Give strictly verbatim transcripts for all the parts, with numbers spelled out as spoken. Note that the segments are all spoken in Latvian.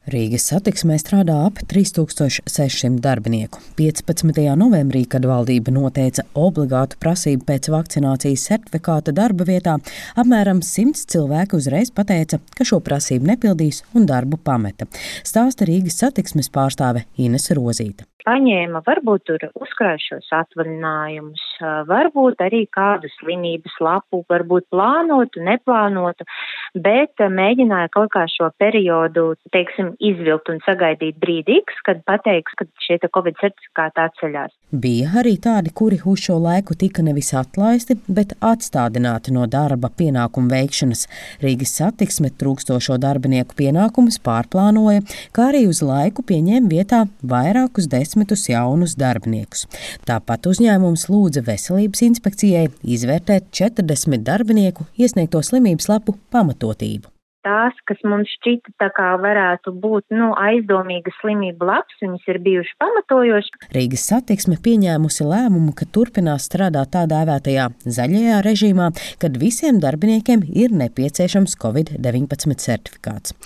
Rīgas satiksmē strādā ap trīs tūkstoši seši simti darbinieku. piecpadsmitajā novembrī, kad valdība noteica obligātu prasību pēc vakcinācijas certifikāta darba vietā, apmēram simts cilvēku uzreiz pateica, ka šo prasību nepildīs un darbu pameta. Stāsta Rīgas satiksmes pārstāve Ines Rozīte. Paņēma varbūt tur uzkrājušos atvaļinājumus, varbūt arī kādu slimības lapu, varbūt plānotu, neplānotu, bet mēģināja kaut kā šo periodu, teiksim, izvilkt un sagaidīt brīdīgs, kad pateiks, ka šie Covid certifikāti atceļās. Bija arī tādi, kuri uz šo laiku tika nevis atlaisti, bet atstādināti no darba pienākumu veikšanas. Rīgas satiksme trūkstošo darbinieku pienākumus pārplānoja, kā arī uz laiku pieņēma vietā vairākus desmitus jaunus darbiniekus. Tāpat uzņēmums lūdza Veselības inspekcijai izvērtēt četrdesmit darbinieku iesniegto slimības lapu pamatotību. Tās, kas mums šķita tā kā varētu būt nu, aizdomīga slimība laps, viņas ir bijuši pamatojoši. Rīgas satiksme pieņēmusi lēmumu, ka turpinās strādāt tā dēvētajā zaļajā režīmā, kad visiem darbiniekiem ir nepieciešams Covid deviņpadsmit certifikāts.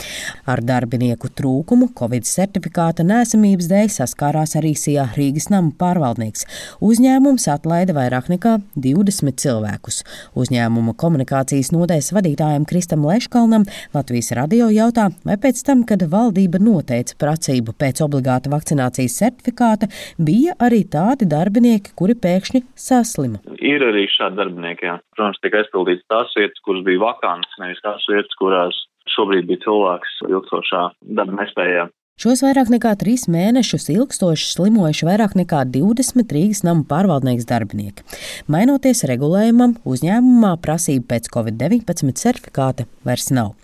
Ar darbinieku trūkumu Covid certifikāta neesamības dēļ saskārās arī Sijā Rīgas nama pārvaldnieks. Uzņēmums atlaida vairāk nekā divdesmit cilvēkus. Uzņēmuma komunikācijas nodaļas vadītājam Kristam Leškalnam Latvijas radio jautā, vai pēc tam, kad valdība noteica prasību pēc obligāta vakcinācijas certifikāta, bija arī tādi darbinieki, kuri pēkšņi saslima. Ir arī šādi darbinieki, jā. Protams, tika aizpildīts tās vietas, kuras bija vakantas, nevis tās vietas, kurās šobrīd bija cilvēks ilgstošā darba nespējā. Šos vairāk nekā trīs mēnešus ilgstoši slimojuši vairāk nekā divdesmit Rīgas nama pārvaldnieks darbinieki. Mainoties regulējumam, uzņēmumā prasība pēc Covid deviņpadsmit certifikāta vairs nav.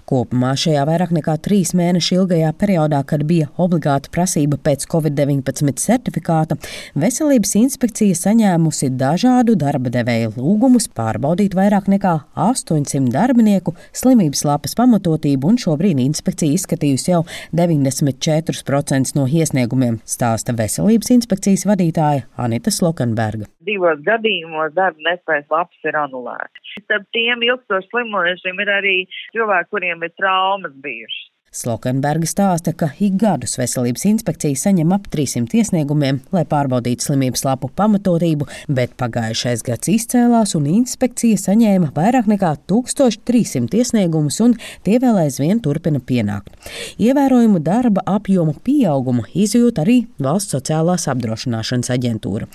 Kopumā šajā vairāk nekā trīs mēnešu ilgajā periodā, kad bija obligāta prasība pēc Covid deviņpadsmit certifikāta, Veselības inspekcija saņēmusi dažādu darba devēju lūgumus pārbaudīt vairāk nekā astoņsimt darbinieku slimības lapas pamatotību, un šobrīd inspekcija izskatījusi jau deviņdesmit četri procenti no iesniegumiem, stāsta Veselības inspekcijas vadītāja Anita Slokenberga. Divos gadījumos darba nespējas lapas ir anulētas. Starp tiem ilgstoši slimojušiem ir arī cilvēki, kuriem ir traumas bijušas. Slokenberga stāsta, ka ik gadus Veselības inspekcija saņem ap trīssimt iesniegumiem, lai pārbaudītu slimības lapu pamatotību, bet pagājušais gads izcēlās un inspekcija saņēma vairāk nekā tūkstoš trīs simti iesniegumus, un tie vēl aizvien turpina pienākt. Ievērojumu darba apjomu pieaugumu izjūt arī Valsts sociālās apdrošināšanas aģentūra.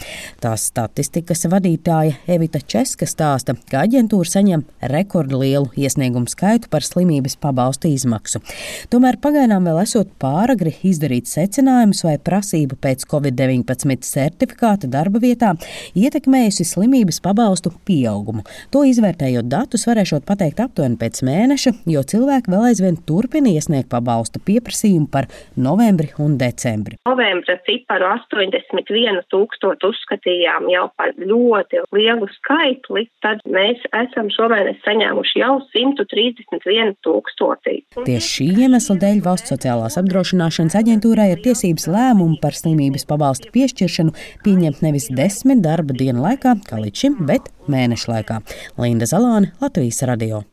Tās statistikas vadītāja Evita Česka stāsta, ka aģentūra saņem rekordlielu iesniegumu skaitu par slimības pabalstu izmaksu. Tomēr pagaidām vēl esot pāragri izdarīt secinājumus, vai prasība pēc Covid deviņpadsmit certifikāta darba vietā ietekmējusi slimības pabalstu pieaugumu. To izvērtējot datus varēšot pateikt aptuveni pēc mēneša, jo cilvēki vēl aizvien turpina iesniegt pabalstu pieprasījumu par novembri un decembri. Novembra ciparu astoņdesmit vienu tūkstotu uzskatījām jau par ļoti lielu skaitli, tad mēs esam šomēnes saņēmuši jau simt trīsdesmit vienu tūkstoti. Tieši šī iemesla dēļ Valsts sociālās apdrošināšanas aģentūrai ir tiesības lēmumu par slimības pabalstu piešķiršanu pieņemt nevis desmit darba dienu laikā, kā līdz šim, bet mēnešu laikā. Linda Zalāne, Latvijas radio.